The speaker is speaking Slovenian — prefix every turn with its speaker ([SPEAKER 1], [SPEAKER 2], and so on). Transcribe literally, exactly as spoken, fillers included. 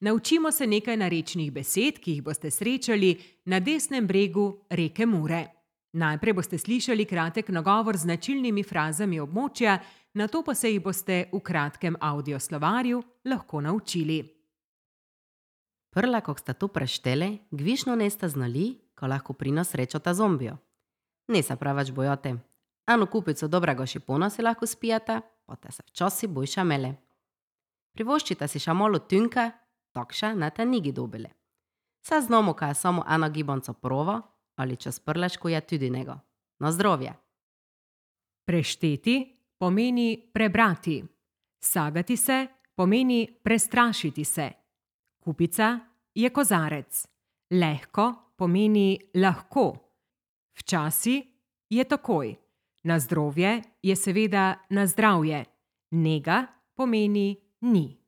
[SPEAKER 1] Naučimo se nekaj narečnih besed, ki jih boste srečali na desnem bregu reke Mure. Najprej boste slišali kratek nagovor z značilnimi frazami območja, nato pa se jih boste v kratkem audioslovarju lahko naučili.
[SPEAKER 2] Prla, kog sta tu preštele, gvišno nesta znali, ko lahko prino srečota zombijo. Ne se pravač bojote. Anu kupico dobrega šipona si lahko spijata, pote se včasi bojša mele. Privoščita si ša malo tynka, takša na te nigi dobile. Sa znamo, kaj je samo eno gibanco provo, ali čez prleško je tudi nego. Na zdrovje.
[SPEAKER 1] Prešteti pomeni prebrati. Sagati se pomeni prestrašiti se. Kupica je kozarec. Lehko pomeni lahko. Včasi je takoj. Na zdrovje je seveda na zdravje. Nega pomeni ni.